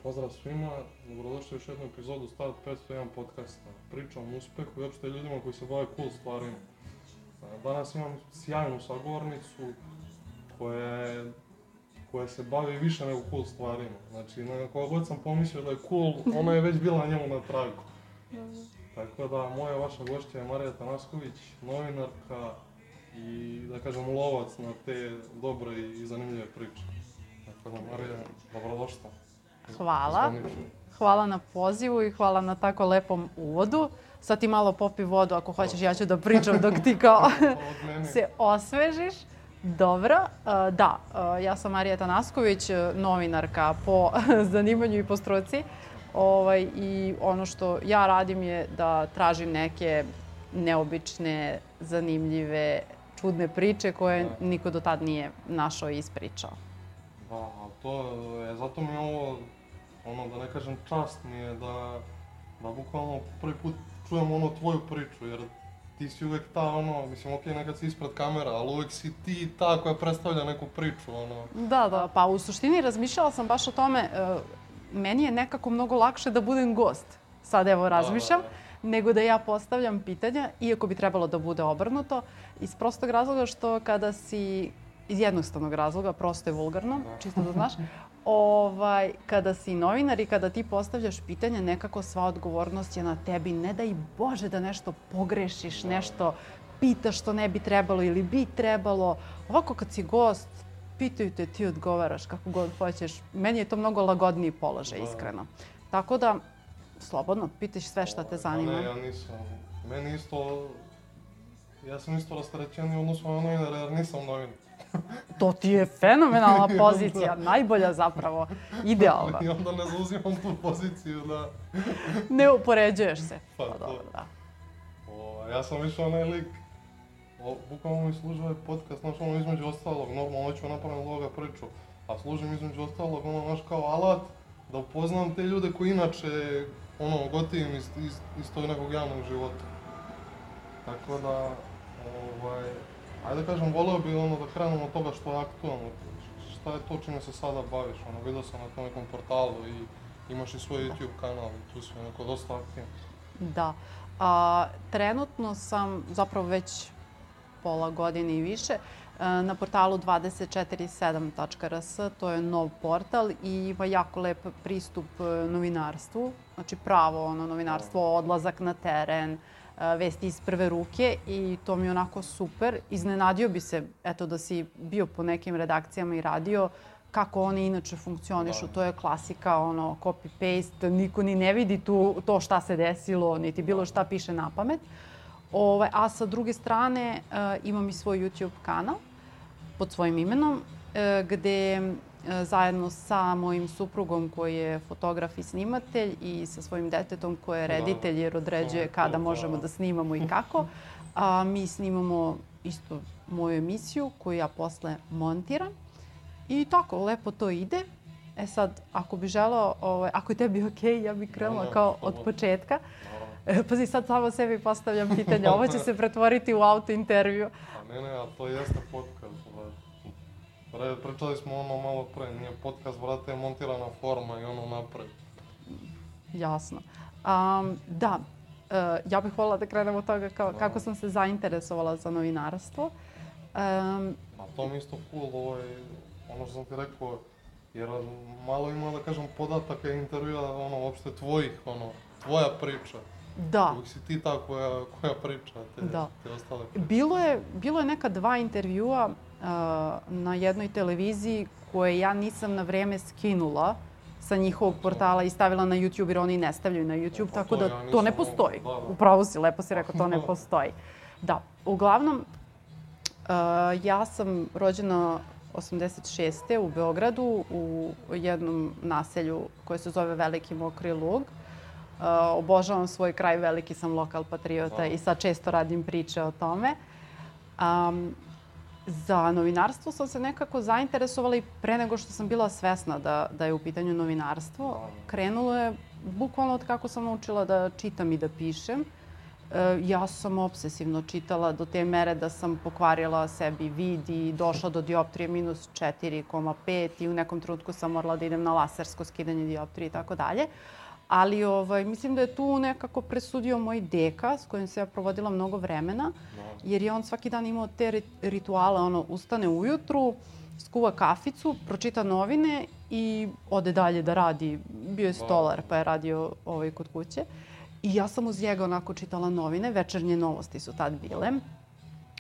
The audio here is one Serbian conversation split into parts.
Pozdrav svima, dobrodošli u još jednu epizodu Start 501 podcasta. Pričam o uspehu i uopšte ljudima koji se bave cool stvarima. Danas imam sjajnu sagovornicu koja se bavi više nego cool stvarima. Znači, na koga god sam pomislio da je cool, ona je već bila njemu na tragu. Tako da, moja vaša gošća je Marija Tanasković, novinarka i, da kažem, lovac na te dobre i zanimljive priče. Tako da, Marija, dobrodošla. Hvala. Hvala na pozivu i hvala na tako lepom uvodu. Sad ti malo popi vodu ako hoćeš, ja ću da pričam dok ti kao se osvežiš. Dobro, da, ja sam Marija Tanasković, novinarka po zanimanju i po struci. I ono što ja radim je da tražim neke neobične, zanimljive, čudne priče koje niko do tad nije našao i ispričao. Da, to je, zato mi je ovo, da ne kažem čast mi je da bukvalno prvi put čujem tvoju priču, jer ti si uvek ta, mislim, okej, nekad si ispred kamera, ali uvek si ti ta koja predstavlja neku priču, Da, pa u suštini razmišljala sam baš o tome, meni je nekako mnogo lakše da budem gost, sad evo razmišljam, nego da ja postavljam pitanja, iako bi trebalo da bude obrnuto, iz prostog razloga što kada si, iz jednostavnog razloga, prosto je vulgarno, čisto da znaš, kada si novinar i kada ti postavljaš pitanja, nekako sva odgovornost je na tebi. Ne daj Bože da nešto pogrešiš, nešto pitaš što ne bi trebalo ili bi trebalo. Ovako kad si gost, pitaju te, ti odgovaraš kako god hoćeš. Meni je to mnogo lagodniji položaj, iskreno. Tako da, slobodno, pitaš sve šta te zanima. Ne, ja nisam. Meni isto, ja sam isto rasterećeniji odnosno na novinara jer nisam novinar. To ti je fenomenalna pozicija, najbolja zapravo, idealna. I onda ne zauzimam tu poziciju da... Ne upoređuješ se. Pa dobro, da. Ja sam više onaj lik, bukvalno mi služi ovaj podcast, između ostalog, normalno hoću napraviti ovoga priču, a služim između ostalog, kao alat da upoznam te ljude koji inače, gotivim iz tog nekog javnog života. Tako da, ajde da kažem, voleo bi da krenemo od toga što je aktualno. Šta je to čime se sada baviš? Vidio sam na tom nekom portalu i imaš i svoj YouTube kanal i tu si dosta aktivno. Da. Trenutno sam zapravo već pola godine i više na portalu 247.rs. To je nov portal i ima jako lep pristup novinarstvu. Znači pravo novinarstvo, odlazak na teren, vesti iz prve ruke i to mi je onako super. Iznenadio bi se, eto, da si bio po nekim redakcijama i radio, kako oni inače funkcionišu. To je klasika, copy-paste, niko ni ne vidi to šta se desilo, niti bilo šta piše na pamet. A sa druge strane imam i svoj YouTube kanal pod svojim imenom, gde zajedno sa mojim suprugom koji je fotograf i snimatelj i sa svojim detetom koji je reditelj jer određuje kada možemo da snimamo i kako. Mi snimamo isto moju emisiju koju ja posle montiram i tako, lepo to ide. Sad, ako bi želeo, ako je tebi okej, ja bih krenula kao od početka. Pazi, sad samo sebi postavljam pitanja, ovo će se pretvoriti u auto intervju. Ne, a to jeste podcast. Pričali smo malo pre, nije podcast, vrate, je montirana forma i napred. Jasno. Da, ja bih voljela da krenem od toga kako sam se zainteresovala za novinarstvo. A to mi isto cool, ono što sam ti rekao, jer malo ima, da kažem, podataka i intervjua, uopšte tvojih, tvoja priča. Da. Uvijek si ti ta koja priča, te ostale priče. Bilo je neka 2 intervjua na jednoj televiziji koje ja nisam na vreme skinula sa njihovog portala i stavila na YouTube jer oni ne stavljaju na YouTube, tako da to ne postoji. Upravo si, lepo si rekao, to ne postoji. Da, uglavnom, ja sam rođena 86. u Beogradu u jednom naselju koje se zove Veliki Mokri Lug. Obožavam svoj kraj, veliki sam lokal patriota i sad često radim priče o tome. Za novinarstvo sam se nekako zainteresovala i pre nego što sam bila svesna da je u pitanju novinarstvo. Krenulo je bukvalno od kako sam naučila da čitam i da pišem. Ja sam obsesivno čitala do te mere da sam pokvarila sebi vid i došla do dioptrije minus 4,5 i u nekom trenutku sam morala da idem na lasersko skidanje dioptrije i tako dalje. Ali mislim da je tu nekako presudio moj deka s kojim se ja provodila mnogo vremena, jer je on svaki dan imao te rituale, ustane ujutru, skuva kaficu, pročita novine i ode dalje da radi. Bio je stolar pa je radio kod kuće. I ja sam uz njega onako čitala novine, večernje novosti su tad bile.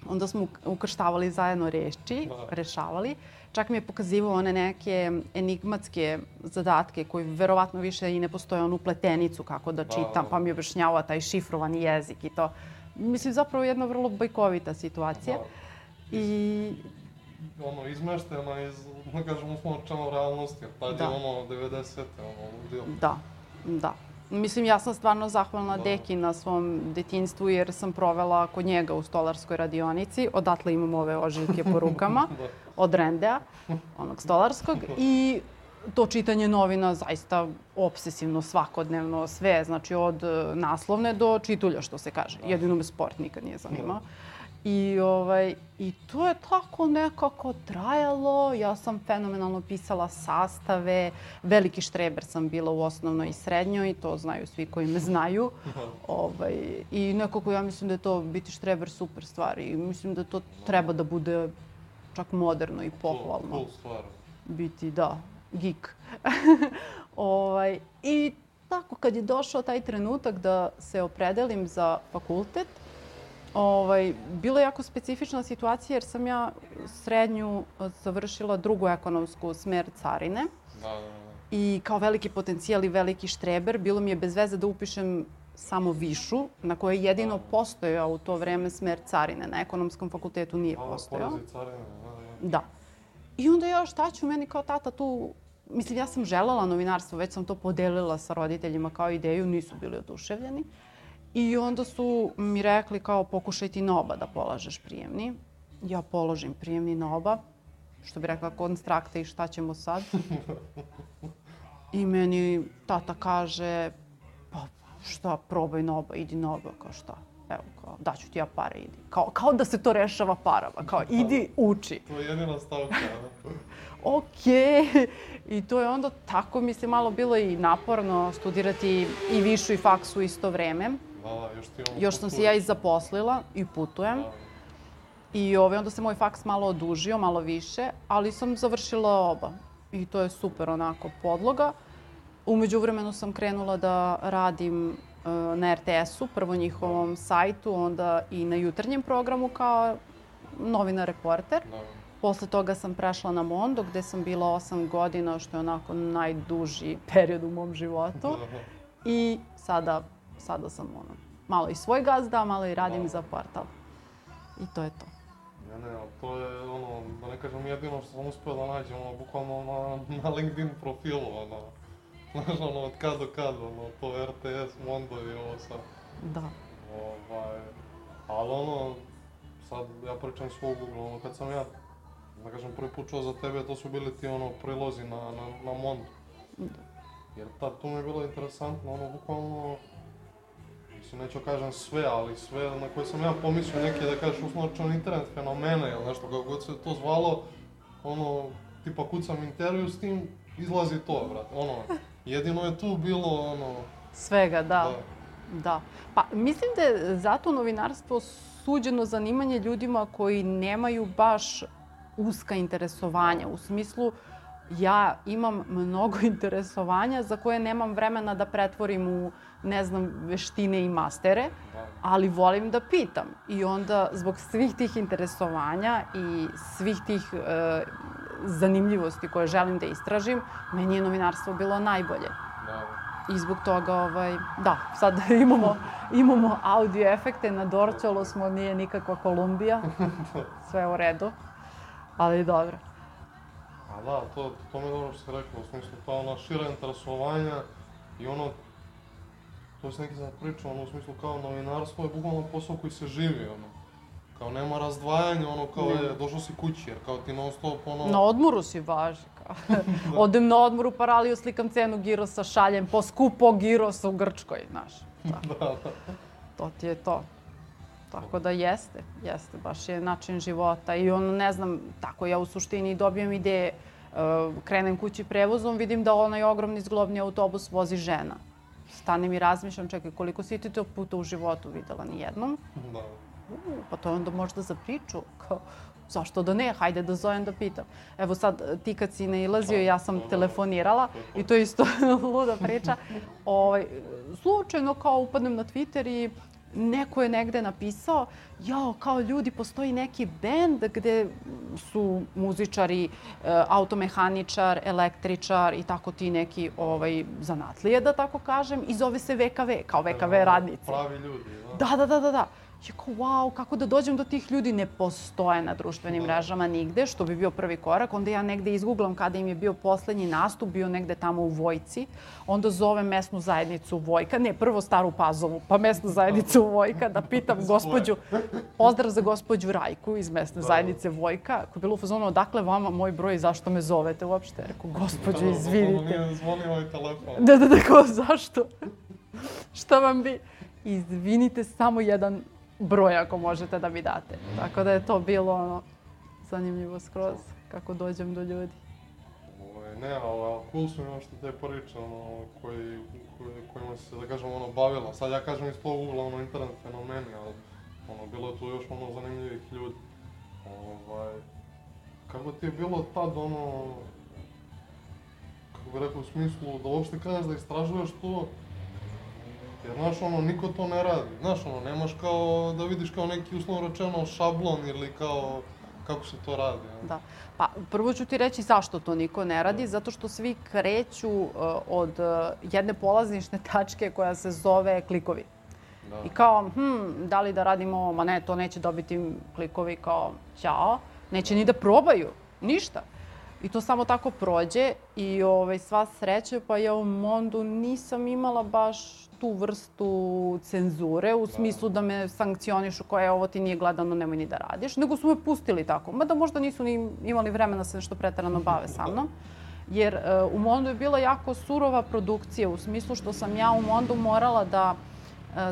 Onda smo ukrštavali zajedno reči, rešavali. Čak mi je pokazivao one neke enigmatske zadatke koji verovatno više i ne postoje onu pletenicu kako da čitam, pa mi je objašnjavao taj šifrovani jezik i to. Mislim, zapravo jedna vrlo bajkovita situacija. I izmeštena iz, da kažem, uslovno rečeno realnosti, jer tad je 90-te, ludio. Da. Mislim, ja sam stvarno zahvalna deki na svom detinjstvu jer sam provela kod njega u stolarskoj radionici. Odatle imam ove ožiljke po rukama od Rendea, onog stolarskog. I to čitanje novina zaista obsesivno, svakodnevno, sve. Znači od naslovne do čitulja, što se kaže. Jedino me sport nikad nije zanimao. I to je tako nekako trajalo. Ja sam fenomenalno pisala sastave. Veliki štreber sam bila u osnovnoj i srednjoj. To znaju svi koji me znaju. I nekako ja mislim da je to biti štreber super stvar. I mislim da to treba da bude čak moderno i pohvalno. Cool stvar. Biti, da, geek. I tako kad je došao taj trenutak da se opredelim za fakultet, bila je jako specifična situacija jer sam ja srednju završila drugu ekonomsku smer carine. I kao veliki potencijal i veliki štreber bilo mi je bez veze da upišem samo višu, na kojoj je jedino postojao u to vreme smer carine. Na ekonomskom fakultetu nije postojao. Da. I onda ja šta ću, meni kao tata tu, mislim ja sam želela novinarstvo, već sam to podelila sa roditeljima kao ideju, nisu bili oduševljeni. I onda su mi rekli kao pokušaj ti na oba da polažeš prijemni. Ja položim prijemni na oba, što bi rekla konstrakta i šta ćemo sad. I meni tata kaže, pa šta, probaj na oba, idi na oba, kao šta. Evo, kao, daću ti ja pare, idi. Kao da se to rešava parama, kao idi, uči. To je jedina stavka. Okej. I to je onda tako, mislim, malo bilo i naporno studirati i višu i faksu isto vreme. Još sam se ja i zaposlila i putujem. I onda se moj faks malo odužio, malo više, ali sam završila oba. I to je super onako podloga. U međuvremenu sam krenula da radim na RTS-u, prvo njihovom sajtu, onda i na jutarnjem programu kao novinar reporter. Posle toga sam prešla na Mondo gde sam bila 8 godina, što je onako najduži period u mom životu. I sada sam malo i svoj gazda, malo i radim za portal. I to je to. To je da ne kažem jedino što sam uspio da nađem, bukvalno na LinkedIn profilu, znaš, od kad do kad, to RTS, Mondo i ovo sad. Da. Ali sad ja pričam svog ugla, kad sam ja, da kažem, prvi put čuo za tebe, to su bili ti prilozi na Mondo. Jer tad tu mi je bilo interesantno, bukvalno, mislim, neću kažem sve, ali sve na koje sam ja pomislio neke, da kažeš, uslovno internet fenomene ili nešto, kako god se to zvalo, tipa kucam intervju s tim, izlazi to, brate, jedino je tu bilo, svega, da. Pa, mislim da je zato novinarstvo suđeno zanimanje ljudima koji nemaju baš uska interesovanja, u smislu ja imam mnogo interesovanja za koje nemam vremena da pretvorim u, ne znam, veštine i mastere, ali volim da pitam. I onda, zbog svih tih interesovanja i svih tih zanimljivosti koje želim da istražim, meni je novinarstvo bilo najbolje. I zbog toga, da, sad imamo audio efekte, na Dorćolu smo, nije nikakva Kolumbija, sve u redu, ali dobro. A da, to mi je dobro što si rekla, u smislu ta šira interesovanja i to si neki sad pričao, u smislu kao novinarstvo je bukvalno posao koji se živi, kao nema razdvajanja, kao je, došao si kući, jer kao ti non stop, Na odmoru si važi, kao. Odem na odmoru, paraliju, slikam cenu girosa, šaljem po skupo girosa u Grčkoj, znaš. Da. To ti je to. Tako da jeste, baš je način života i ono, ne znam, tako ja u suštini dobijem ideje. Krenem kući prevozom, vidim da onaj ogromni zglobni autobus vozi žena. Stanem i razmišljam, čekaj, koliko si ti to puta u životu videla? Nijednom? Da. Pa to je onda možda za priču. Kao, zašto da ne? Hajde da zovem da pitam. Evo sad, ti kad si nailazio, ja sam telefonirala i to je isto luda priča. Slučajno kao upadnem na Twitter i neko je negde napisao, jao, kao ljudi, postoji neki bend gde su muzičari, automehaničar, električar i tako ti neki zanatlije, da tako kažem, i zove se VKV, kao VKV radnici. Pravi ljudi, da? Da. Ja kao, wow, kako da dođem do tih ljudi? Ne postoje na društvenim mrežama nigde, što bi bio prvi korak. Onda ja negde izgooglam kada im je bio poslednji nastup, bio negde tamo u Vojci. Onda zovem mesnu zajednicu Vojka, ne, prvo Staru Pazovu, pa mesnu zajednicu Vojka, da pitam gospođu, pozdrav za gospođu Rajku iz mesne zajednice Vojka, koja je bila u fazonu, odakle vama moj broj i zašto me zovete uopšte? Rekao, gospođo, izvinite. Nije zvonio ovaj telefon. Da, kao, zašto? Šta vam bi? Izvinite, samo jedan broj ako možete da mi date. Tako da je to bilo zanimljivo skroz kako dođem do ljudi. Ne, cool su mi što te priče kojima se, da kažem, bavila. Sad ja kažem iz tog ugla, internet fenomeni, ali bilo je tu još zanimljivih ljudi. Kako ti je bilo tad, kako bih rekao, u smislu da uopšte kreneš da istražuješ to? Jer, znaš, niko to ne radi. Znaš, nemaš kao da vidiš kao neki, uslovno rečeno, šablon ili kao kako se to radi. Da. Pa, prvo ću ti reći zašto to niko ne radi. Zato što svi kreću od jedne polazišne tačke koja se zove klikovi. I kao, da li da radimo ovo? Ma ne, to neće dobiti klikovi, kao, ćao. Neće ni da probaju. Ništa. I to samo tako prođe i sva sreća, pa ja u Mondu nisam imala baš tu vrstu cenzure, u smislu da me sankcionišu koja ovo ti nije gledano, nemoj ni da radiš, nego su me pustili tako. Mada možda nisu ni imali vremena da se nešto preterano bave sa mnom. Jer u Mondu je bila jako surova produkcija, u smislu što sam ja u Mondu morala da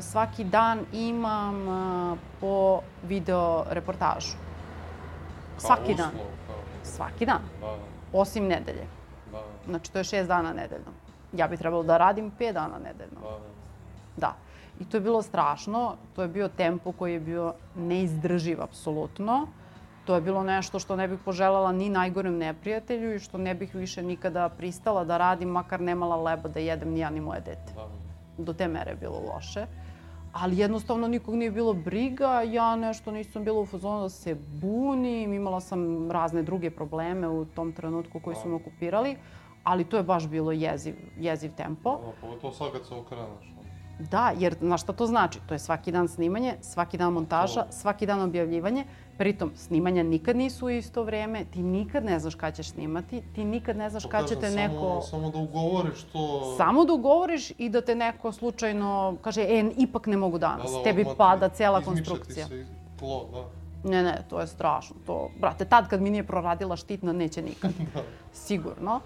svaki dan imam po video reportažu. Svaki dan. Svaki dan. Osim nedelje. Znači, to je 6 dana nedeljno. Ja bi trebalo da radim 5 dana nedeljno. Da. I to je bilo strašno. To je bio tempo koji je bio neizdrživ, apsolutno. To je bilo nešto što ne bih poželjela ni najgorem neprijatelju i što ne bih više nikada pristala da radim, makar nemala leba da jedem ni ja ni moje dete. Do te mere je bilo loše. Ali jednostavno nikog nije bilo briga, ja nešto nisam bila u fazonu da se bunim, imala sam razne druge probleme u tom trenutku koji su me okupirali, ali to je baš bilo jeziv tempo. Pogotovo sad kad se okreneš. Da, jer znaš šta to znači? To je svaki dan snimanje, svaki dan montaža, svaki dan objavljivanje. Pritom, snimanja nikad nisu u isto vreme, ti nikad ne znaš kada ćeš snimati, ti nikad ne znaš kada će te neko... Samo da ugovoriš to... Samo da ugovoriš i da te neko slučajno kaže, ipak ne mogu danas, tebi pada cela konstrukcija. Izmiče ti se tlo, da. Ne, to je strašno. Brate, tad kad mi nije proradila štitna, neće nikad. Sigurno.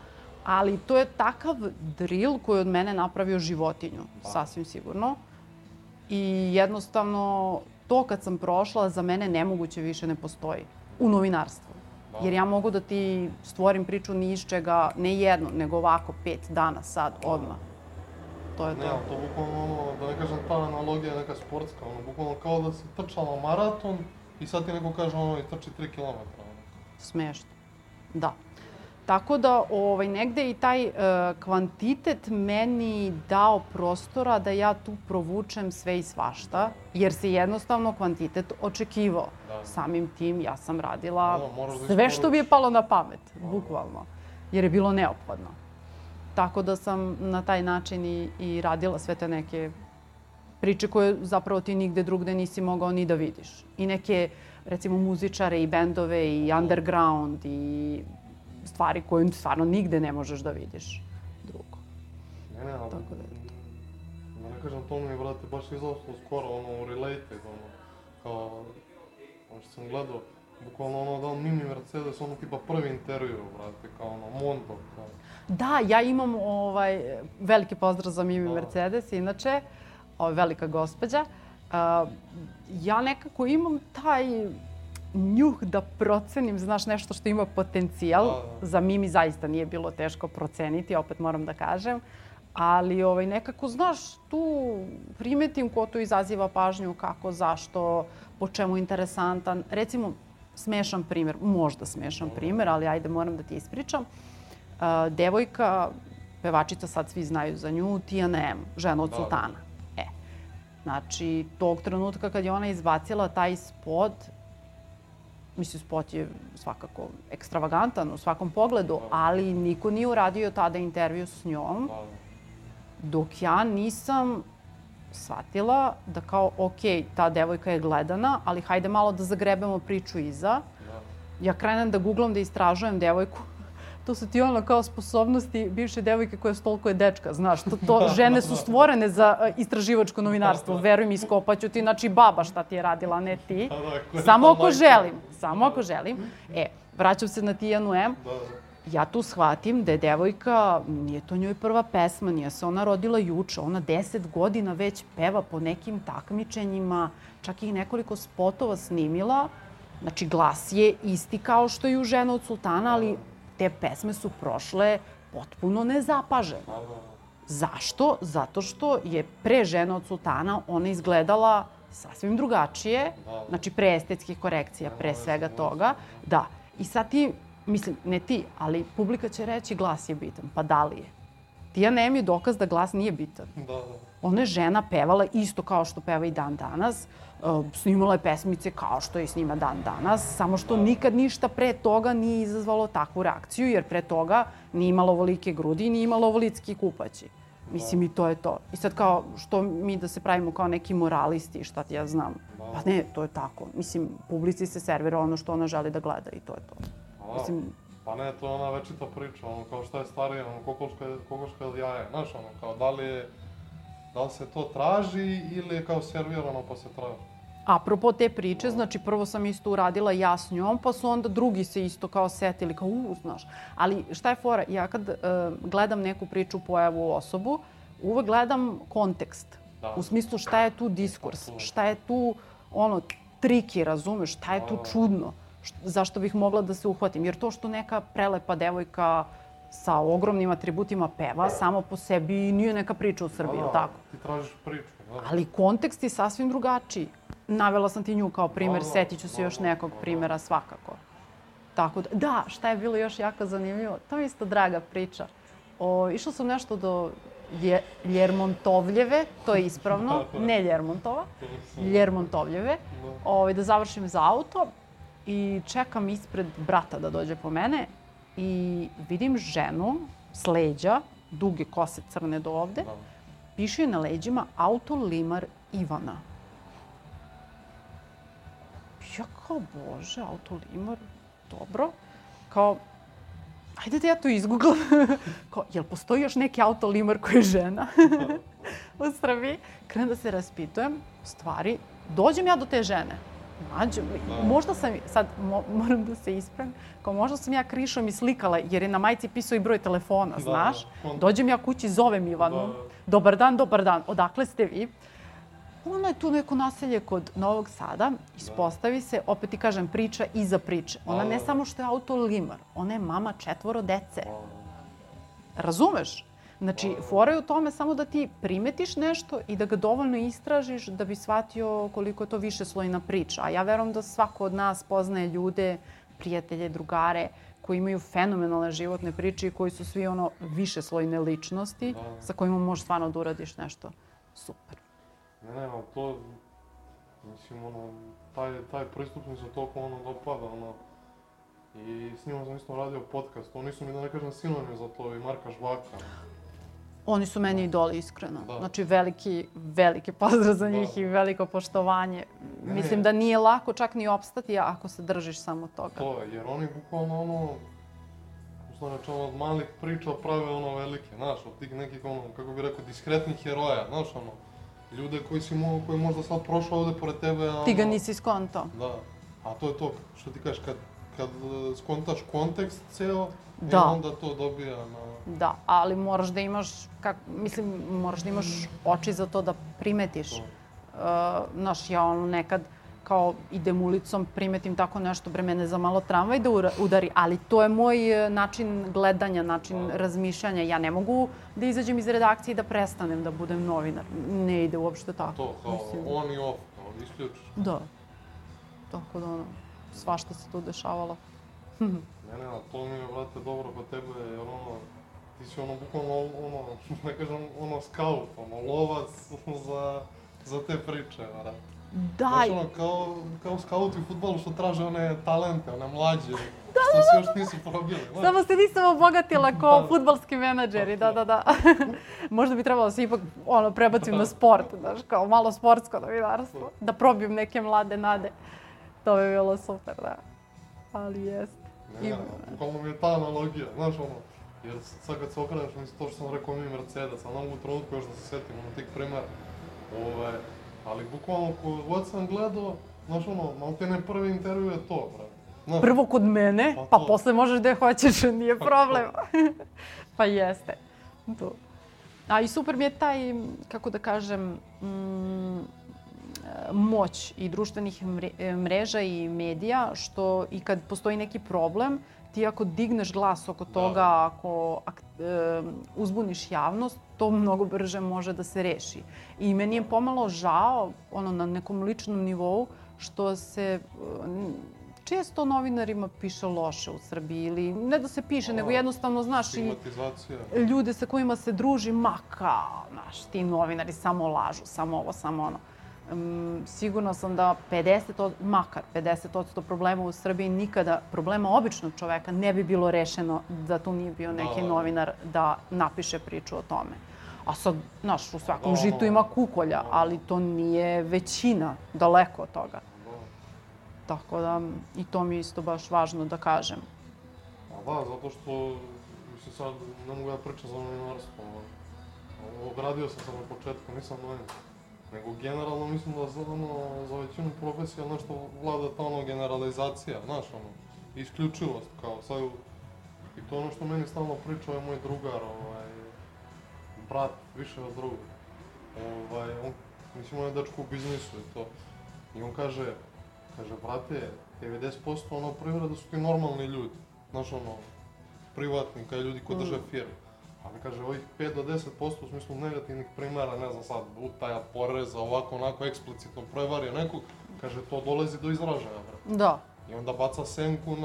Ali to je takav drill koji je od mene napravio životinju, sasvim sigurno. I jednostavno, to kad sam prošla, za mene nemoguće više ne postoji. U novinarstvu. Jer ja mogu da ti stvorim priču ni iz čega, ne jedno, nego ovako 5 dana sad, odmah. To je to. Ne, ali to bukvalno, da ne kažem, ta analogija je neka sportska. Bukvalno kao da si trčala maraton i sad ti neko kaže i trči 3 kilometra. Smešno. Da. Tako da negde i taj kvantitet meni dao prostora da ja tu provučem sve i svašta, jer se jednostavno kvantitet očekivao. Samim tim ja sam radila sve što mi je palo na pamet, bukvalno, jer je bilo neophodno. Tako da sam na taj način i radila sve te neke priče koje zapravo ti nigde drugde nisi mogao ni da vidiš. I neke, recimo, muzičare i bendove i underground i stvari koje stvarno nigde ne možeš da vidiš drugo. Ne, ali da ne kažem, to mi je, brate, baš izlaslo skoro, u Related, kao, što sam gledao, bukvalno da mini Mercedes, tipa prvi intervju, brate, kao Mondo, kao. Da, ja imam veliki pozdrav za Mimi Mercedes, inače, velika gospođa. Ja nekako imam taj njuh da procenim, znaš, nešto što ima potencijal. Za Mimi zaista nije bilo teško proceniti, opet moram da kažem. Ali nekako, znaš, tu primetim ko tu izaziva pažnju, kako, zašto, po čemu interesantan. Recimo, smešan primer, možda smešan primer, ali ajde, moram da ti ispričam. Devojka, pevačica, sad svi znaju za nju, Tijana M, žena od sultana. Znači, tog trenutka kad je ona izbacila taj spot, mislim, spot je svakako ekstravagantan u svakom pogledu, ali niko nije uradio tada intervju s njom, dok ja nisam shvatila da kao, okej, ta devojka je gledana, ali hajde malo da zagrebemo priču iza. Ja krenem da googlam, da istražujem devojku. To su ti kao sposobnosti bivše devojke koja stolkuje dečka, znaš. Žene su stvorene za istraživačko novinarstvo, veruj mi, iskopaću ti, znači baba šta ti je radila, ne ti. Samo ako želim. Vraćam se na Tijanu M. Ja tu shvatim da je devojka, nije to njoj prva pesma, nije se ona rodila juče, ona 10 godina već peva po nekim takmičenjima, čak i nekoliko spotova snimila. Znači, glas je isti kao što je u Žena od sultana, ali te pesme su prošle potpuno nezapaženo. Zašto? Zato što je pre Žena od sultana ona izgledala sasvim drugačije, znači pre estetskih korekcija, pre svega toga. Da. I sad ti, mislim, ne ti, ali publika će reći glas je bitan. Pa da li je? Tijana M je dokaz da glas nije bitan. Ona je žena, pevala isto kao što peva i dan danas. Snimala je pesmice kao što je snima dan danas, samo što nikad ništa pre toga nije izazvalo takvu reakciju, jer pre toga nije imala ovolike grudi i nije imala ovolitski kupaći. Mislim, i to je to. I sad kao, što mi da se pravimo kao neki moralisti, šta ti ja znam? Pa ne, to je tako. Mislim, publici se servira ono što ona želi da gleda i to je to. Mislim... Pa ne, to je ona večita priča, kao šta je starije, kokoška ili jaje, znaš, kao da li se to traži ili je kao servirano pa se traži? Apropo te priče, znači prvo sam isto uradila ja s njom, pa su onda drugi se isto kao setili, kao znaš. Ali šta je fora? Ja kad gledam neku priču, pojavu, osobu, uvek gledam kontekst. U smislu šta je tu diskurs, šta je tu triki, razumeš, šta je tu čudno, zašto bih mogla da se uhvatim. Jer to što neka prelepa devojka sa ogromnim atributima peva, samo po sebi nije neka priča u Srbiji, ili tako? Ti tražiš priču. Ali kontekst je sasvim drugačiji. Navela sam ti nju kao primer, setit ću se još nekog primera svakako. Tako da, šta je bilo još jako zanimljivo? To je isto draga priča. Išla sam nešto do Ljermontovljeve, to je ispravno, ne Ljermontova, Ljermontovljeve, da završim za auto i čekam ispred brata da dođe po mene i vidim ženu s leđa, duge kose crne do ovde, piše na leđima Autolimar Ivana. Ja kao, bože, Autolimar, dobro. Kao, ajde da ja to izgooglam. Kao, jel postoji još neki Autolimar koji je žena u Srbiji? Krenem da se raspitujem, stvari, dođem ja do te žene. Možda sam, sad moram da se ispravim, kao možda sam ja krišom i slikala jer je na majici pisao i broj telefona, znaš. Dođem ja kući, zovem Ivanu. Dobar dan, odakle ste vi? Ono je tu neko naselje kod Novog Sada, ispostavi se, opet ti kažem, priča iza priče. Ona ne samo što je Autolimar, ona je mama 4 dece. Razumeš? Znači, fora je u tome samo da ti primetiš nešto i da ga dovoljno istražiš da bi shvatio koliko je to višeslojna priča. A ja verujem da svako od nas poznaje ljude, prijatelje, drugare, koji imaju fenomenalne životne priče i koji su svi višeslojne ličnosti sa kojima možeš stvarno da uradiš nešto super. Ne, ali to, mislim, taj pristup mi se toliko dopada, i s njima sam isto radio podcast, oni su mi, da ne kažem, sinonim za to, i Marka Žvaka. Oni su meni idoli, iskreno. Znači, veliki pozdrav za njih i veliko poštovanje. Mislim da nije lako čak ni opstati ako se držiš samo toga. To je, jer oni bukvalno od malih priča prave velike, znaš, od tih nekih, kako bih rekao, diskretnih heroja, znaš, ljude koji možda sad prošao ovde pored tebe, ti ga nisi skontao. Da, a to je to, što ti kažeš, kad skontaš kontekst ceo, onda to dobija na... Da, ali moraš da imaš, moraš da imaš oči za to da primetiš Znaš, ja ono nekad kao idem ulicom, primetim tako nešto, bre, mene za malo tramvaj da udari, ali to je moj način gledanja, način razmišljanja. Ja ne mogu da izađem iz redakcije i da prestanem da budem novinar. Ne ide uopšte tako. To, kao on i off, kao isključiš. Da. Tako da, ono, svašta se tu dešavalo. Ne, a to mi je, brate, dobro kod tebe, jer ono, ti si ono, bukvalno, ono, ne kažem, ono, skaut, ono, lovac za te priče, brate. Da. Znaš, ono, kao skauti u fudbalu što traže one talente, one mlađe, što se još nisu probili. Samo se nisam obogatila kao fudbalski menadžeri, da. Možda bi trebalo se ipak prebacim na sport, znaš, kao malo sportsko novinarstvo, da probijem neke mlade nade. To bi bilo super, da. Ali jeste. Ne, bukvalno mi je ta analogija, znaš, ono, jer sad kad se okreneš, mislim, to što sam rekao mi Mercedes, ali ne mogu u trenutku još da se setim, ono, tih primjera. Ali bukvalno kod god sam gledao, znaš ono, maltene prvi intervju je to, brate. Prvo kod mene, pa posle možeš gde hoćeš, nije problem. Pa jeste. To. A i super mi je taj, kako da kažem, moć i društvenih mreža i medija, što i kad postoji neki problem, ti ako digneš glas oko toga, ako uzbuniš javnost, to mnogo brže može da se reši. I meni je pomalo žao, na nekom ličnom nivou, što se često novinarima piše loše u Srbiji. Ili ne da se piše, nego jednostavno, znaš, i ljude sa kojima se druži, znaš, ti novinari samo lažu, samo ovo, samo ono. Sigurno sam da makar 50% problema u Srbiji nikada, problema običnog čoveka, ne bi bilo rešeno da tu nije bio neki novinar da napiše priču o tome. A sad, znaš, u svakom žitu ima kukolja, ali to nije većina, daleko od toga. Tako da, i to mi je isto baš važno da kažem. Da, zato što, mislim sad, ne mogu da pričam za novinarstvo. Ogradio sam se na početku, nisam novinar. Nego generalno mislim da za većinu profesija nešto vlada ta generalizacija, znaš, isključivost, kao sad, i to ono što meni stalno priča je moj drugar, brat, više od druga. Mislim, on je dečko u biznisu i to. I on kaže, brate, 90% privreda su ti normalni ljudi, znaš, privatnika i ljudi koji drže firme. Ali kaže, ovih 5 do 10% u smislu negativnih primjera, ne znam sad, utaja, poreza, ovako, onako, eksplicitno prevario nekog, kaže, to dolazi do izražaja, brate. Da. I onda baca senku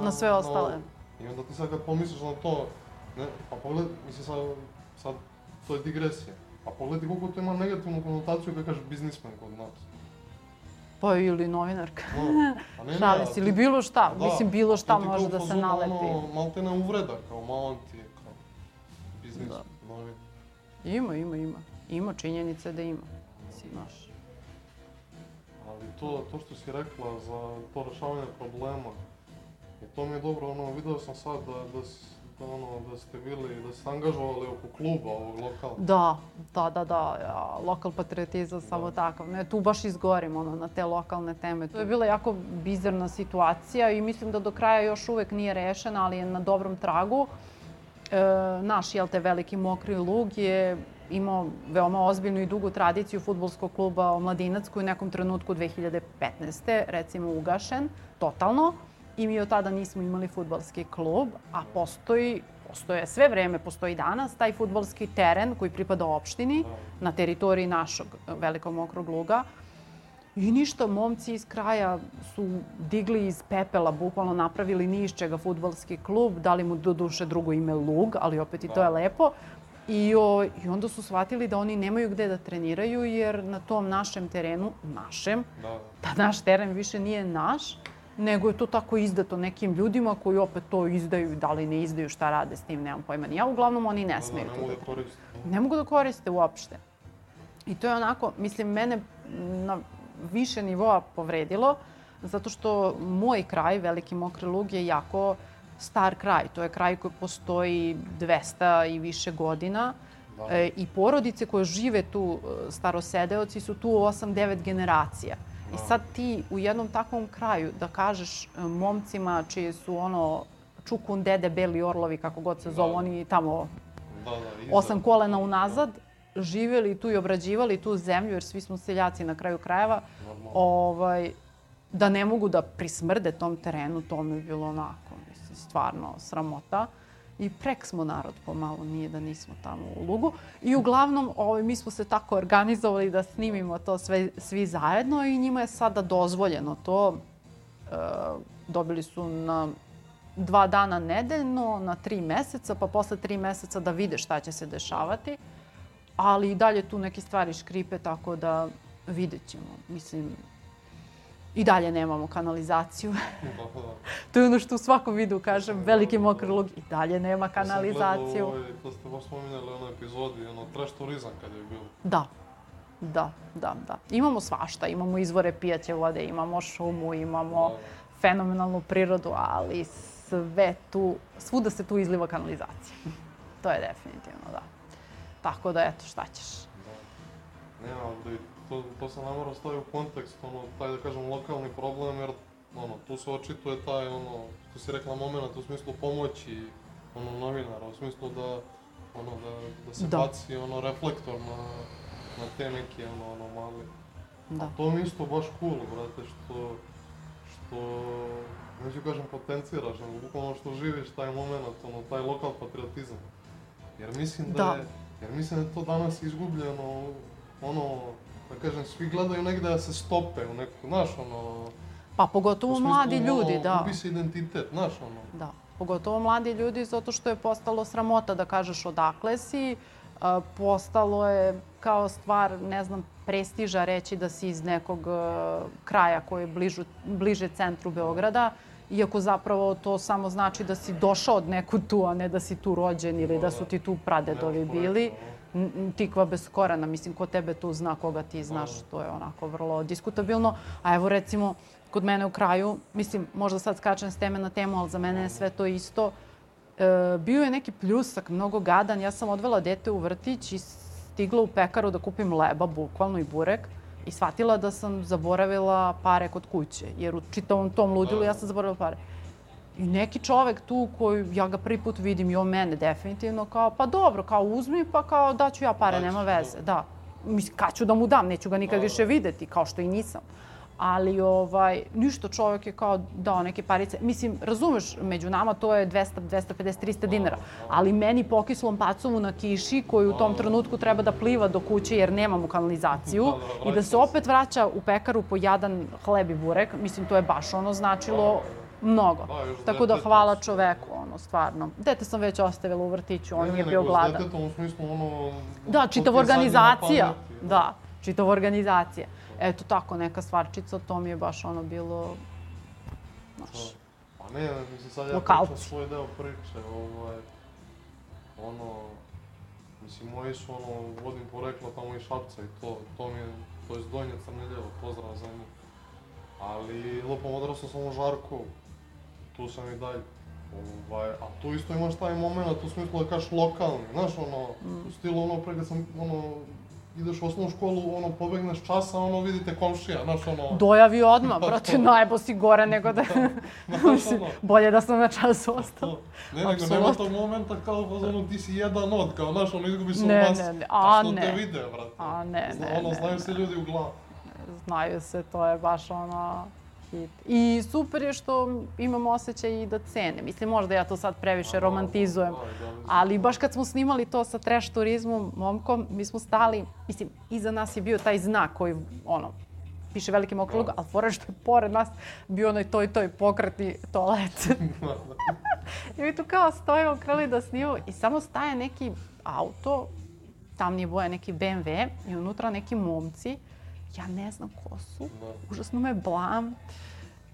na sve ostale. I onda ti sad kad pomisliš na to, pa pogledaj, mislim sad, to je digresija. Pa pogledaj koliko to ima negativnu konotaciju kad kažeš biznismen kod nas. Pa ili novinarka. Šali se, ili bilo šta, mislim, bilo šta može da se nalepi. Maltene uvreda, kao malo ti je. Ima. Ima činjenice da ima. Znaš. Ali to što si rekla za to rešavanje problema, to mi je dobro, vidio sam sad da ste bili, da ste angažovali oko kluba ovog lokalnog. Da. Lokal patriotizam, samo takav. Tu baš izgorim na te lokalne teme. To je bila jako bizarna situacija i mislim da do kraja još uvek nije rešena, ali je na dobrom tragu. Naš, veliki Mokri Lug je imao veoma ozbiljnu i dugu tradiciju fudbalskog kluba Omladinac koji u nekom trenutku 2015. recimo ugašen, totalno. I mi od tada nismo imali fudbalski klub, a postoji sve vreme, postoji danas taj fudbalski teren koji pripada opštini na teritoriji našeg velikog Mokrog Luga. I ništa, momci iz kraja su digli iz pepela, bukvalno napravili ni iz čega fudbalski klub, dali mu doduše drugo ime Lug, ali opet i to je lepo. I onda su shvatili da oni nemaju gde da treniraju jer na tom našem terenu, da naš teren više nije naš, nego je to tako izdato nekim ljudima koji opet to izdaju, da li ne izdaju, šta rade s tim, nemam pojma ni ja. Uglavnom oni ne smeju to da koriste. Ne mogu da koriste uopšte. I to je onako, mislim, mene na više nivoa povredilo, zato što moj kraj, Veliki Mokri Lug, je jako star kraj. To je kraj koji postoji 200 i više godina i porodice koje žive tu, starosedeoci, su tu 8-9 generacija. I sad ti u jednom takvom kraju da kažeš momcima čije su čukun, dede, beli orlovi, kako god se zovu, oni tamo 8 kolena unazad, živjeli tu i obrađivali tu zemlju, jer svi smo seljaci na kraju krajeva, da ne mogu da prismrde tom terenu, to mi je bilo onako, mislim, stvarno sramota. I prek smo narod pomalo, nije da nismo tamo u Lugu. I uglavnom, mi smo se tako organizovali da snimimo to svi zajedno i njima je sada dozvoljeno to. Dobili su na 2 dana nedeljno, na 3 meseca, pa posle 3 meseca da vide šta će se dešavati. Ali i dalje tu neke stvari škripe, tako da vidjet ćemo. Mislim, i dalje nemamo kanalizaciju. To je ono što u svakom videu kažem, Veliki Mokri Lug, i dalje nema kanalizaciju. Ja sam gledao, to ste baš spominjali u onoj epizodi, trash turizam kad je bilo. Da. Imamo svašta, imamo izvore pijaće vode, imamo šumu, imamo fenomenalnu prirodu, ali svuda se tu izliva kanalizacija. To je definitivno, da. Tako da, eto, šta ćeš? Nema, to se ne mora staviti u kontekst, taj, da kažem, lokalni problem, jer tu se očituje taj, što si rekla, moment u smislu pomoći novinara, u smislu da se baci reflektor na te neke anomalije. A to mi isto baš cool, brate, što neću kažem potenciraš, nego bukvalno što živiš taj moment, taj lokal patriotizam. Jer mislim da je to danas izgubljeno, da kažem, svi gledaju negde da se stope u neku, znaš, Pa pogotovo mladi ljudi, da. Gubi se identitet, znaš, Da, pogotovo mladi ljudi, zato što je postalo sramota da kažeš odakle si. Postalo je kao stvar, ne znam, prestiža reći da si iz nekog kraja koji je bliže centru Beograda, iako zapravo to samo znači da si došao od nekud tu, a ne da si tu rođen ili da su ti tu pradedovi bili. Tikva bez korena, mislim, ko tebe tu zna, koga ti znaš, to je onako vrlo diskutabilno. A evo recimo, kod mene u kraju, mislim, možda sad skačem s teme na temu, ali za mene je sve to isto. Bio je neki pljusak, mnogo gadan. Ja sam odvela dete u vrtić i stigla u pekaru da kupim leba, bukvalno, i burek. I shvatila da sam zaboravila pare kod kuće, jer u čitavom tom ludilu ja sam zaboravila pare. I neki čovek tu koji ja ga prvi put vidim i on mene definitivno kao, pa dobro, kao uzmi, pa kao daću ja pare, nema veze. Da. Mislim, kad ću da mu dam, neću ga nikad više videti, kao što i nisam. Ali ništa, čovjek je kao dao neke parice. Mislim, razumeš, među nama to je 200, 250, 300 dinara. Ali meni pokislom pacovu na kiši, koji u tom trenutku treba da pliva do kuće jer nemamo kanalizaciju i da se opet vraća u pekaru po jadan hleb i burek, mislim, to je baš značilo mnogo. Tako da hvala čoveku, stvarno. Dete sam već ostavila u vrtiću, on je bio gladan. Ne, nego s detetom u smislu Da, čitava organizacija. Da, čitava organizacija. Eto tako, neka stvarčica, to mi je baš bilo, znaš, Pa ne, mislim, sad ja pričam svoj deo priče, mislim, moji su, vodim porekla tamo iz Šapca i to mi je, to je Donje Crneljevo, pozdrav za njih. Ali, lupom, odrastao sam u Žarkovu, tu sam i dalje. A tu isto imaš taj moment, u smislu da kažeš lokalni, znaš, u stilu, pre kad sam, ideš u osnovnu školu, pobegneš časa, vidite komšija, znaš, Dojavi odmah, brate, najbo si gore nego da... Bolje da sam na času ostao. Ne, nego nema tog momenta kao, ti si jedan od, kao, znaš, izgubi se u nas, a što te vide, brate. A ne. Znaju se ljudi u glavu. Znaju se, to je baš hit. I super je što imam osjećaj i da cene. Mislim, možda ja to sad previše romantizujem, ali baš kad smo snimali to sa trash turizmom, momkom, mi smo stali, mislim, iza nas je bio taj znak koji, piše Veliki Mokri Lug, ali fora što je pored nas bio onaj toj pokretni toalet. I mi tu kao stojimo, krali da snimamo i samo staje neki auto, tamnije boje, neki BMW i unutra neki momci. Ja ne znam ko su, užasno me blam.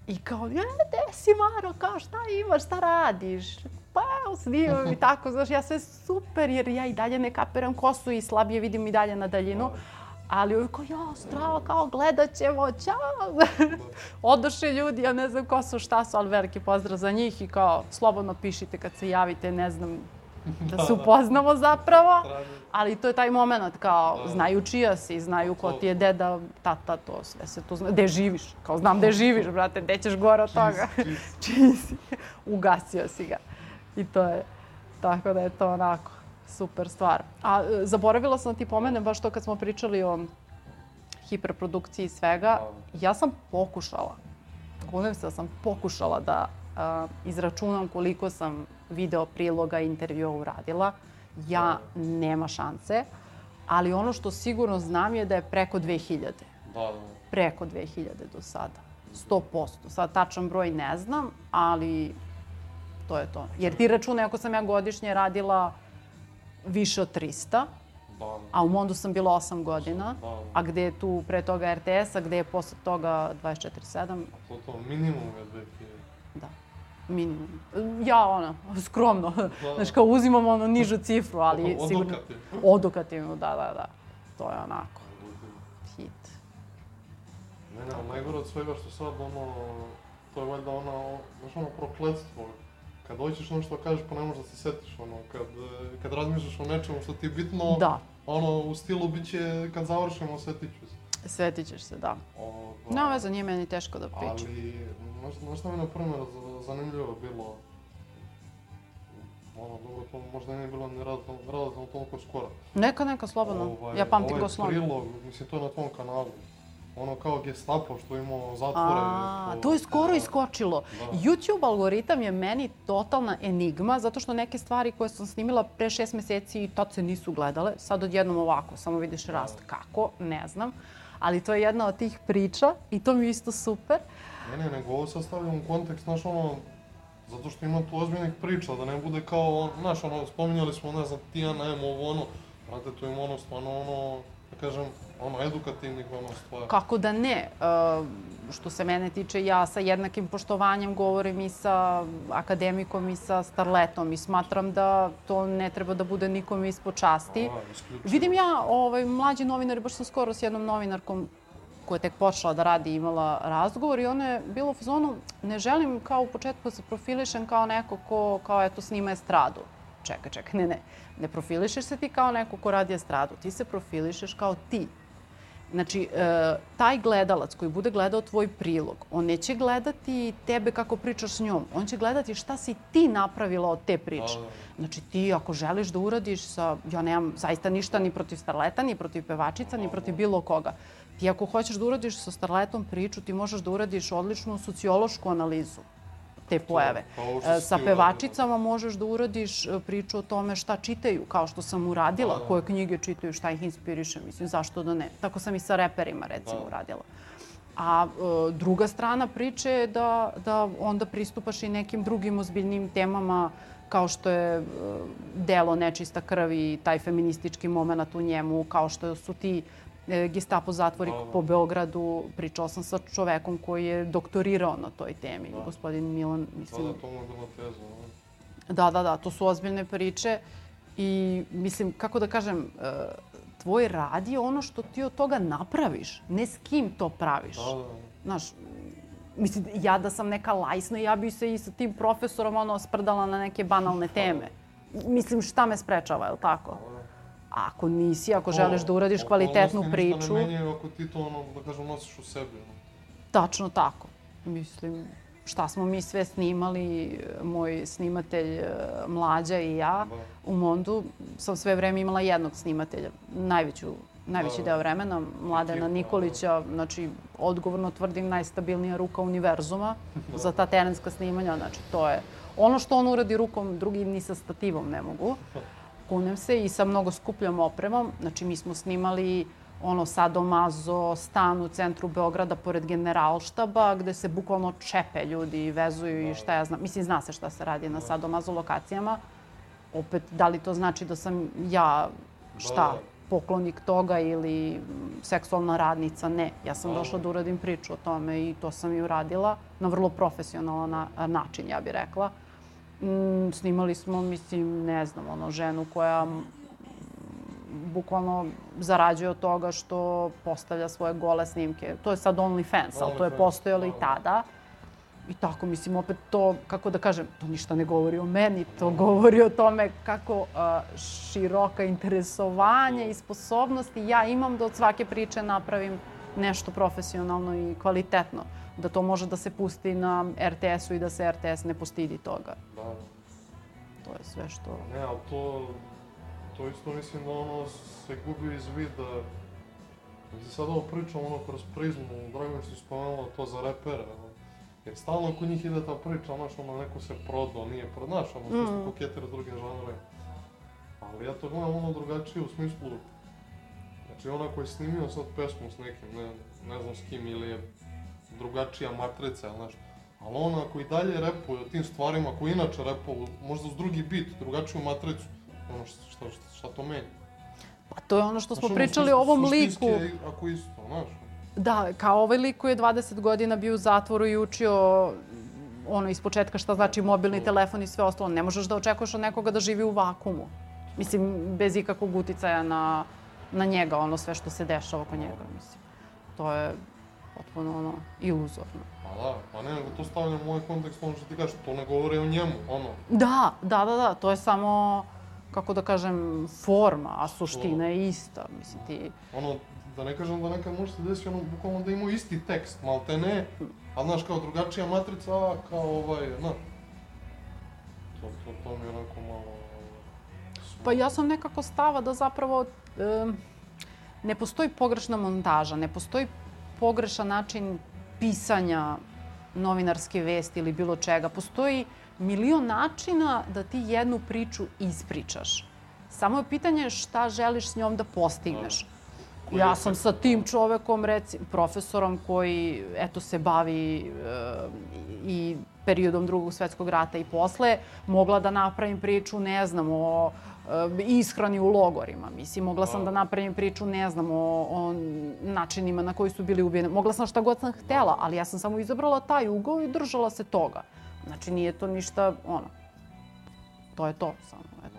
I kao, gde si Maro, kao šta imaš, šta radiš? Pa evo, snimam i tako, znaš, ja sve super jer ja i dalje ne kapiram ko su i slabije vidim i dalje na daljinu. Ali ovi kao, strava, kao gledat ćemo, ćao. Odoše ljudi, ja ne znam ko su, šta su, ali veliki pozdrav za njih i kao, slobodno pišite kad se javite, ne znam, da se upoznamo zapravo, ali to je taj moment kao znaju čija si, znaju ko ti je deda, tata, to sve se tu zna. Gde živiš? Kao znam gde živiš, brate, gde ćeš gore od toga? Čiji si? Ugasio si ga. I to je, tako da je to onako Super stvar. A zaboravila sam da ti pomenem baš to kad smo pričali o hiperprodukciji svega. Ja sam pokušala, kunem se da sam pokušala da izračunam koliko sam video priloga i intervjua uradila. Ja nema šanse, ali ono što sigurno znam je da je preko 2000. Preko 2000 do sada. 100%. Sad tačan broj ne znam, ali to je to. Jer ti računaj ako sam ja godišnje radila više od 300, a u Mondu sam bila 8 godina, a gde je tu pre toga RTS, a gde je posle toga 24/7. To minimum je 2000. Da, minimum. Ja, skromno. Znaš, kao uzimam nižu cifru, ali sigurno... Odokativno, da. To je onako. Hit. Ne, najgore od svega što sad, to je valjda ono prokletstvo. Kad hoćeš nešto kažeš pa ne možeš da se setiš, kad razmišljaš o nečemu što ti je bitno, u stilu bit će kad završimo setit ću se. Setit ćeš se, da. Nema veze, nije meni teško da pričam. Ali, znaš šta mi na primjer zanimljivo bilo? Dobro, to možda nije bilo ni relativno toliko skoro. Neka, slobodno. Ja pamtim ko slon. Prilog, mislim, to je na tvom kanalu. Ono kao Gestapo što imao zatvore. To je skoro iskočilo. YouTube algoritam je meni totalna enigma, zato što neke stvari koje sam snimila pre 6 meseci i tad se nisu gledale. Sad odjednom ovako, samo vidiš rast. Kako? Ne znam. Ali to je jedna od tih priča i to mi je isto super. Ne, nego ovo sad stavljam u kontekst, znaš, zato što ima tu ozbiljnih priča, da ne bude kao, znaš, spominjali smo, ne znam, Tijana, brate, tu ima stvarno, da kažem, edukativnih stvari. Kako da ne? Što se mene tiče, ja sa jednakim poštovanjem govorim i sa akademikom i sa starletom i smatram da to ne treba da bude nikom ispod časti. Vidim ja, mlađi novinari, baš sam skoro s jednom novinarkom koja je tek počela da radi i imala razgovor i ona je bila u fazonu, ne želim kao u početku da se profilišem kao neko ko, eto, snima estradu. Čekaj, ne profilišeš se ti kao neko ko radi estradu, ti se profilišeš kao ti. Znači, taj gledalac koji bude gledao tvoj prilog, on neće gledati tebe kako pričaš s njom, on će gledati šta si ti napravila od te priče. Znači, ti ako želiš da uradiš ja nemam zaista ništa ni protiv starleta, ni protiv pevačica, ni protiv bilo koga. Ti ako hoćeš da uradiš sa starletom priču, ti možeš da uradiš odličnu sociološku analizu te pojave. Sa pevačicama možeš da uradiš priču o tome šta čitaju, kao što sam uradila, koje knjige čitaju, šta ih inspiriše, mislim, zašto da ne. Tako sam i sa reperima, recimo, uradila. A druga strana priče je da onda pristupaš i nekim drugim ozbiljnim temama, kao što je delo Nečista krv i taj feministički moment u njemu, kao što su ti Gestapo zatvori po Beogradu. Pričala sam sa čovekom koji je doktorirao na toj temi, gospodin Milan, mislim. To mu je bila teza. Da, to su ozbiljne priče i mislim, kako da kažem, tvoj rad je ono što ti od toga napraviš, ne s kim to praviš. Znaš, mislim, ja da sam neka lajsna, ja bi se i sa tim profesorom sprdala na neke banalne teme. Mislim, šta me sprečava, je li tako? Ako nisi, ako želiš da uradiš kvalitetnu priču... Ništa ne menjaju ako ti to, da kažem, nosiš u sebi. Tačno tako. Mislim, šta smo mi sve snimali, moj snimatelj Mlađa i ja u Mondu, sam sve vreme imala jednog snimatelja, najveći deo vremena, Mladena Nikolića, znači, odgovorno tvrdim, najstabilnija ruka univerzuma za ta terenska snimanja, znači, to je ono što on uradi rukom, drugi ni sa stativom ne mogu. Kunem se i sa mnogo skupljom opremom. Znači, mi smo snimali Sadomazo, stan u centru Beograda pored Generalštaba, gde se bukvalno čepe ljudi i vezuju i šta ja znam. Mislim, zna se šta se radi na Sadomazo lokacijama. Opet, da li to znači da sam ja, poklonik toga ili seksualna radnica? Ne. Ja sam došla da uradim priču o tome i to sam i uradila na vrlo profesionalan način, ja bih rekla. Snimali smo, mislim, ne znam, ženu koja bukvalno zarađuje od toga što postavlja svoje gole snimke. To je sad OnlyFans, ali to je postojalo i tada. I tako, mislim, opet to, kako da kažem, to ništa ne govori o meni, to govori o tome kako široka interesovanja i sposobnosti ja imam da od svake priče napravim nešto profesionalno i kvalitetno. Da to može da se pusti na RTS-u i da se RTS ne postidi toga. To je sve što... Ne, ali to... to isto mislim da ono se gubi iz vida. Mislim, sad ovo pričam ono kroz prizmu, drago mi si spomenula to za repere, jer stalno kod njih ide ta priča, znaš, ono, neko se prodao, nije prodao, znaš, ono, svi su koketiri s drugim žanrima. Ali ja to gledam ono drugačije u smislu, znači onaj koji je snimio sad pesmu s nekim, ne znam s kim, ili je drugačija matrica ili nešto, ali ona koji dalje repuje o tim stvarima koji inače repuje, možda uz drugi bit, drugačiju matricu, ono šta to meni? Pa to je ono što smo pričali o ovom liku. Suštinski je ako isto, znaš. Da, kao ovaj lik koji je 20 godina bio u zatvoru i učio ono ispočetka šta znači mobilni telefon i sve ostalo. Ne možeš da očekuješ od nekoga da živi u vakumu. Mislim, bez ikakvog uticaja na njega, ono sve što se dešava oko njega, mislim. To je potpuno ono iluzorno. Pa da, pa ne, nego to stavljam u ovaj kontekst, ono što ti kažeš, to ne govori o njemu, ono. Da, to je samo, kako da kažem, forma, a suština je ista, mislim ti... Ono, da ne kažem da nekad može se desiti ono, bukvalno da imaju isti tekst, malte ne, ali znaš, kao drugačija matrica, kao znaš. To mi je onako malo... Pa ja sam nekako stava da zapravo ne postoji pogrešna montaža, ne postoji pogrešan način pisanja novinarske vesti ili bilo čega. Postoji milion načina da ti jednu priču ispričaš. Samo je pitanje šta želiš s njom da postigneš. Ja sam sa tim čovekom, profesorom koji se bavi i periodom Drugog svjetskog rata i posle, mogla da napravim priču, ne znam, o ishrani u logorima. Mislim, mogla sam da napravim priču, ne znam, o načinima na koji su bili ubijeni. Mogla sam šta god sam htela, ali ja sam samo izabrala taj ugao i držala se toga. Znači, nije to ništa, to je to samo, eto.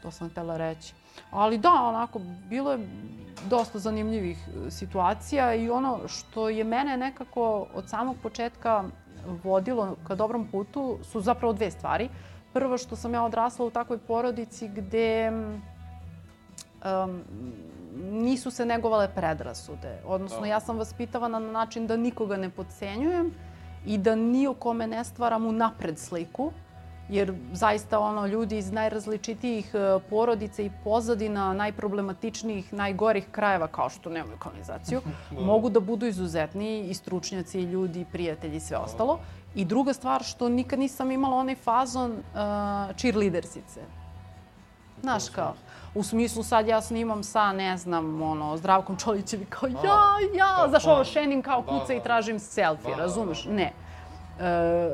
To sam htela reći. Ali da, onako, bilo je dosta zanimljivih situacija i ono što je mene nekako od samog početka vodilo ka dobrom putu su zapravo dve stvari. Prvo što sam ja odrasla u takvoj porodici gde nisu se negovale predrasude. Odnosno, ja sam vaspitavana na način da nikoga ne potcenjujem i da ni o kome ne stvaram unapred sliku. Jer zaista ljudi iz najrazličitijih porodica i pozadina, najproblematičnijih, najgorih krajeva, kao što nemaju kanalizaciju, mogu da budu izuzetni i stručnjaci, i ljudi, i prijatelji i sve ostalo. I druga stvar, što nikad nisam imala onaj fazon cheerleadersice. Znaš kao, u smislu sad ja snimam sa, ne znam, Zdravkom Čolićevi kao znaš šenim kao kuca i tražim selfie, razumeš? Ne.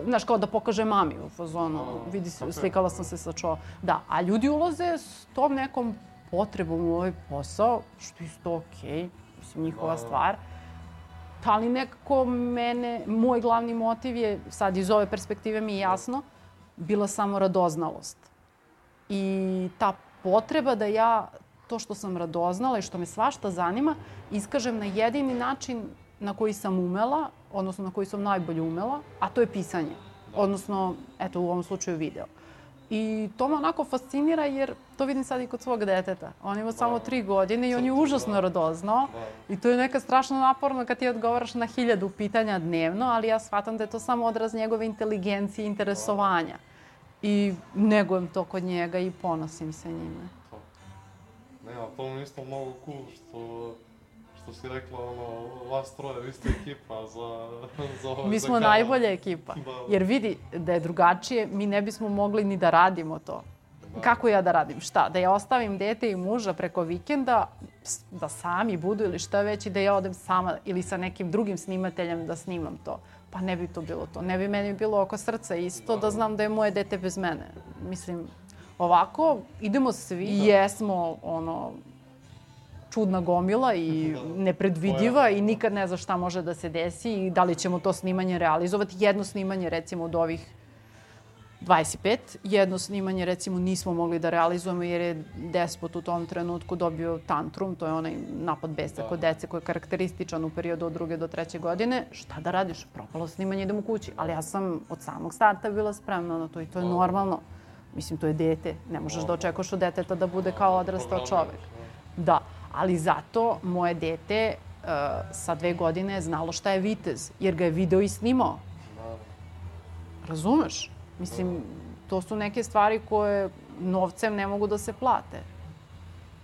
Znaš, kao da pokaže mami u fazonu, vidi, slikala sam se sa Da, a ljudi ulaze s tom nekom potrebom u ovaj posao, što je isto okej, mislim, njihova stvar. Ali nekako moj glavni motiv je, sad iz ove perspektive mi je jasno, bila samo radoznalost. I ta potreba da ja to što sam radoznala i što me svašta zanima, iskažem na jedini način na koji sam umela, odnosno na koji sam najbolje umela, a to je pisanje. Odnosno, eto, u ovom slučaju video. I to me onako fascinira jer to vidim sad i kod svog deteta. On ima samo 3 godine i on je užasno radoznao. I to je neka strašno naporno kad ti odgovaraš na 1000 pitanja dnevno, ali ja shvatam da je to samo odraz njegove inteligencije i interesovanja. I negujem to kod njega i ponosim se njime. Ne, ali to mi isto mnogo cool što si rekla, vas troje, vi ste ekipa za Mi smo najbolja ekipa. Jer vidi, da je drugačije, mi ne bismo mogli ni da radimo to. Kako ja da radim? Šta? Da ja ostavim dete i muža preko vikenda, da sami budu ili šta već i da ja odem sama ili sa nekim drugim snimateljem da snimam to. Pa ne bi to bilo to. Ne bi meni bilo oko srca isto da znam da je moje dete bez mene. Mislim, ovako idemo svi i jesmo čudna gomila i nepredvidiva i nikad ne zna šta može da se desi i da li ćemo to snimanje realizovati. Jedno snimanje, recimo, od ovih 25, jedno snimanje, recimo, nismo mogli da realizujemo jer je despot u tom trenutku dobio tantrum, to je onaj napad besa kod dece koji je karakterističan u periodu od 2. do 3. godine. Šta da radiš? Propalo snimanje, idemo kući. Ali ja sam od samog starta bila spremna na to i to je normalno. Mislim, to je dete. Ne možeš da očekuješ od deteta da bude kao odrastao čovek. Da. Ali zato moje dete sa 2 godine je znalo šta je vitez, jer ga je video i snimao. Razumeš? Mislim, to su neke stvari koje novcem ne mogu da se plate.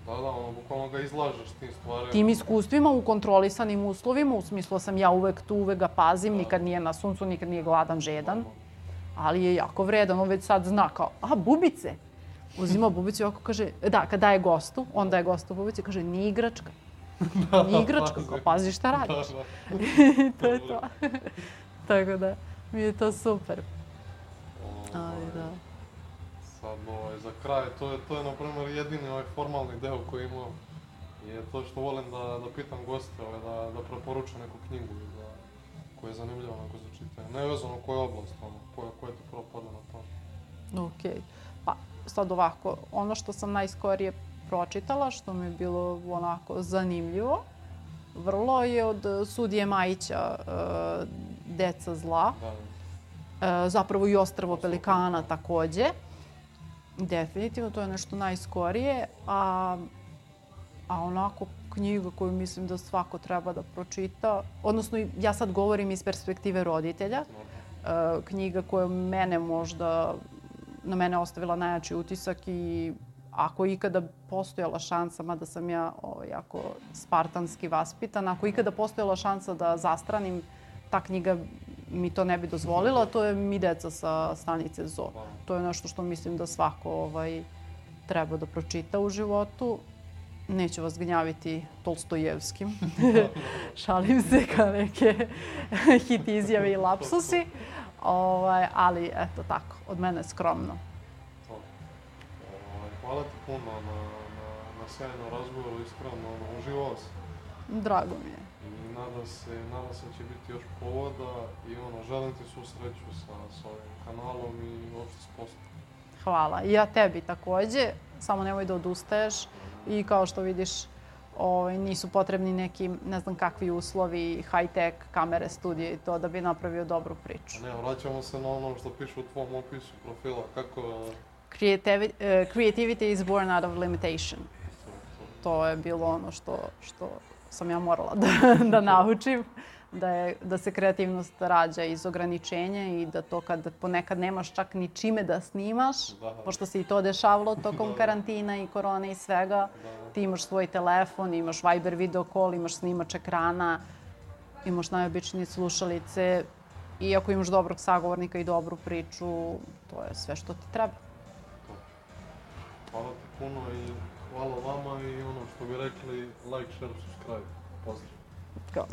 Da, ono, bukvalno ga izlažeš tim stvarima. Tim iskustvima u kontrolisanim uslovima, u smislu sam ja uvek tu, uvek ga pazim, nikad nije na suncu, nikad nije gladan, žedan. Ali je jako vredan, on već sad zna kao, bubice. Uzima bubicu i ovako kaže, da, kad daje gostu, on daje gostu bubicu i kaže, nije igračka. Nije igračka, kao pazi šta radiš. I to je to. Tako da, mi je to super. Ali da. Sad, za kraj, to je na primjer jedini formalni deo koji imam. Je to što volim da pitam goste, da preporuče neku knjigu koja je zanimljiva onako za čitanje. Nevezano koja je oblast, koja ti prvo padne na pamet. Okej. Pa, sad ovako, ono što sam najskorije pročitala, što mi je bilo onako zanimljivo, vrlo je od sudije Majića Deca zla. Zapravo i Ostrvo pelikana takođe. Definitivno, to je nešto najskorije, a onako knjiga koju mislim da svako treba da pročita, odnosno ja sad govorim iz perspektive roditelja, knjiga koja na mene ostavila najjači utisak i ako je ikada postojala šansa, mada sam ja jako spartanski vaspitana, ako je ikada postojala šansa da zastranim, ta knjiga mi to ne bi dozvolila, to je Mi deca sa stanice ZOO. To je nešto što mislim da svako treba da pročita u životu. Neću vas gnjaviti Tolstojevskim. Šalim se kao neke hit izjave i lapsusi. Ali eto tako, od mene skromno. Hvala ti puno na sjajnom razgovoru, iskreno, uživao sam. Drago mi je. I nadam se da će biti još povoda i želim ti svu sreću sa ovim kanalom i uopšte s poslom. Hvala. I ja tebi takođe, samo nemoj da odustaješ i kao što vidiš nisu potrebni neki ne znam kakvi uslovi, high-tech, kamere, studije i to da bi napravio dobru priču. Ne, vraćamo se na ono što piše u tvom opisu profila, kako... Creativity is born out of limitation. To je bilo ono što sam ja morala da naučim, da se kreativnost rađa iz ograničenja i da to kad ponekad nemaš čak ni čime da snimaš, pošto se i to dešavalo tokom karantina i korone i svega, ti imaš svoj telefon, imaš Viber video call, imaš snimač ekrana, imaš najobičnije slušalice i ako imaš dobrog sagovornika i dobru priču, to je sve što ti treba. Hvala ti puno i hvala vama i što bi rekli, like, share, subscribe. Pozdrav. Go.